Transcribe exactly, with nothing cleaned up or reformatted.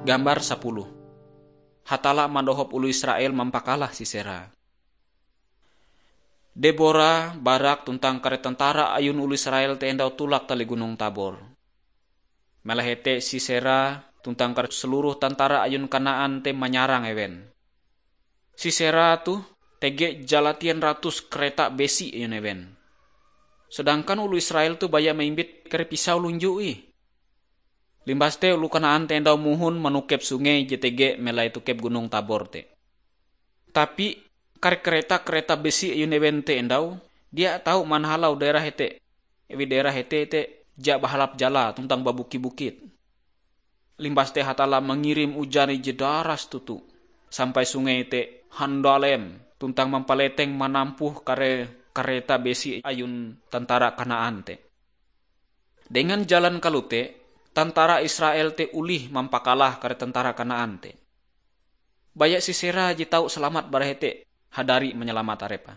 Gambar sapuluh. Hatalla mandohop oloh Israel mampakalah Sisera. Debora, Barak tuntang kare tentara ayun oloh Israel te endau tulak tali Gunong Tabor. Melahe te Sisera tuntang kare seluruh tentara ayun Kanaan te manyarang ewen. Sisera toh tege jalatien ratus kareta besi ayun ewen. Sedangkan oloh Israel toh baya maimbit kare pisau lunju ih. Limbas te oloh Kanaan te endau mohon manokep sungei je tege melai tokep Gunong Tabor te. Tapi kare kareta-kareta besi ayun ewen te endau dia tau manhalau daerah hete. Ewi daerah hete te ja bahalap jala tuntang babukit-bukit. Limbas te Hatalla mangirim ujan ije daras toto, sampai sungei te handalem tuntang mampaleteng manampuh kare kareta besi ayun tentara Kanaan te. Dengan jalan kalote, tentara Israel te olih mampakalah kare tentara Kanaan te. Baya Sisera je tau salamat bara hete hadari manyalamat arepe.